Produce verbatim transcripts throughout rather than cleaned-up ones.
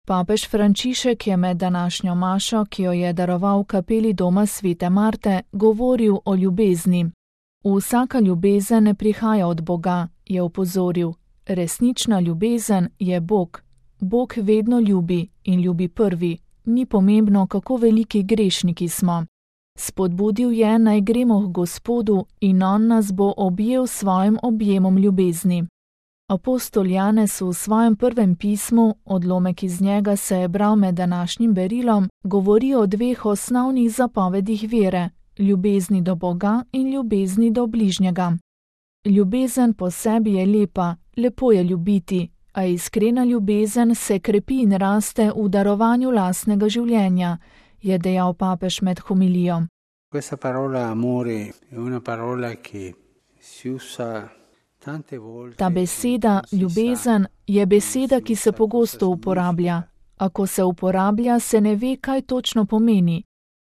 Papež Frančišek je med današnjo mašo, ki jo je daroval v kapeli doma svete Marte, govoril o ljubezni. Vsaka ljubezen ne prihaja od Boga, je opozoril. Resnična ljubezen je Bog. Bog vedno ljubi in ljubi prvi. Ni pomembno, kako veliki grešniki smo. Spodbudil je, naj gremo k Gospodu in on nas bo objel s svojim objemom ljubezni. Apostol Janez v svojem prvem pismu, odlomek iz njega se je bral med današnjim berilom, govori o dveh osnovnih zapovedih vere, ljubezni do Boga in ljubezni do bližnjega. Ljubezen po sebi je lepa, lepo je ljubiti, a iskrena ljubezen se krepi in raste v darovanju lastnega življenja, je dejal papež med homilijo. Questa parola amore è una parola che si usa. Ta beseda, ljubezen, je beseda, ki se pogosto uporablja. A ko se uporablja, se ne ve, kaj točno pomeni.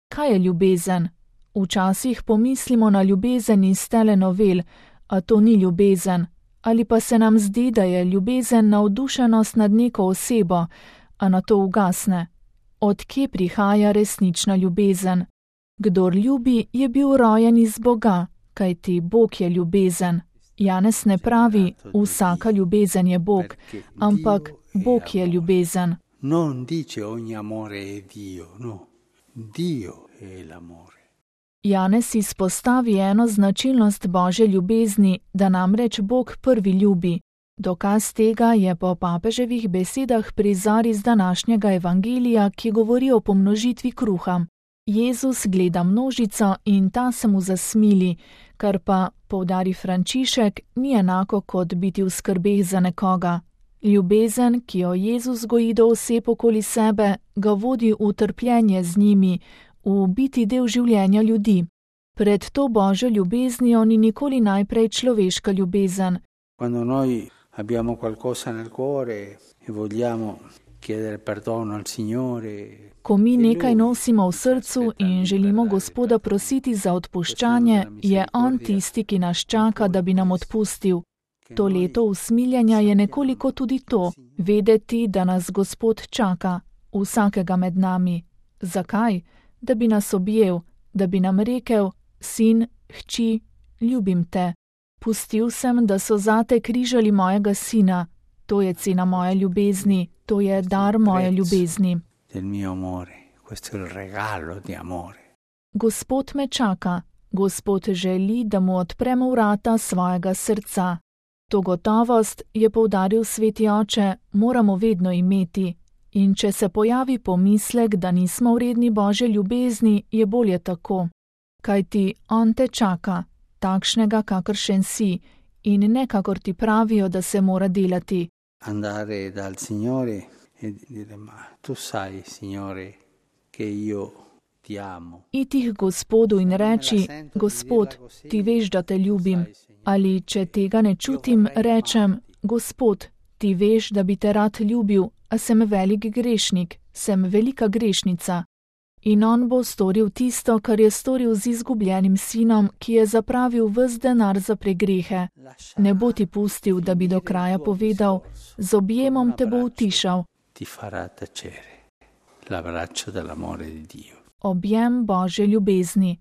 Kaj je ljubezen? Včasih pomislimo na ljubezen iz telenovel, a to ni ljubezen. Ali pa se nam zdi, da je ljubezen navdušenost nad neko osebo, a na to ugasne. Od kje prihaja resnična ljubezen? Kdor ljubi, je bil rojen iz Boga, kajti Bog je ljubezen. Janez ne pravi, vsaka ljubezen je Bog, ampak Bog je ljubezen. Non dice ogni amore è Dio, no. Dio è l'amore. Janez izpostavi eno značilnost Božje ljubezni, da namreč Bog prvi ljubi. Dokaz tega je po papeževih besedah prizor iz današnjega evangelija, ki govori o pomnožitvi kruha. Jezus gleda množico in ta se mu zasmili, kar pa, poudari Frančišek, ni enako kot biti v skrbeh za nekoga. Ljubezen, ki jo Jezus goji do oseb okoli sebe, ga vodi v trpljenje z njimi, v biti del življenja ljudi. Pred to Božjo ljubeznijo ni nikoli najprej človeška ljubezen. Quando noi abbiamo qualcosa nel cuore e vogliamo chiedere perdono al Signore. Ko mi nekaj nosimo v srcu in želimo Gospoda prositi za odpuščanje, je On tisti, ki nas čaka, da bi nam odpustil. To leto usmiljenja je nekoliko tudi to, vedeti, da nas Gospod čaka, vsakega med nami. Zakaj? Da bi nas objel, da bi nam rekel, sin, hči, ljubim te. Pustil sem, da so zate križali mojega sina. To je cena moje ljubezni, to je dar moje ljubezni. Del mio amore, questo è il regalo di amore. Gospod me čaka, Gospod želi, da mu odpremo vrata svojega srca. To gotovost, je poudaril sveti oče, moramo vedno imeti. In če se pojavi pomislek, da nismo vredni Božje ljubezni, je bolje tako. Kajti On te čaka, takšnega, kakršen si, in ne kakor ti pravijo, da se mora delati. Andare dal Signore e dire, ma tu sai, Signore, che io ti amo. Iti k Gospodu in reči, Gospod, ti veš, da te ljubim. Ali, če tega ne čutim, rečem, Gospod, ti veš, da bi te rad ljubil, a sem velik grešnik, sem velika grešnica. In On bo storil tisto, kar je storil z izgubljenim sinom, ki je zapravil ves denar za pregrehe. Ne bo ti pustil, da bi do kraja povedal, z objemom te bo utišal. Ti farà tacere l'abbraccio dell'amore di Dio. Objem Božje ljubezni.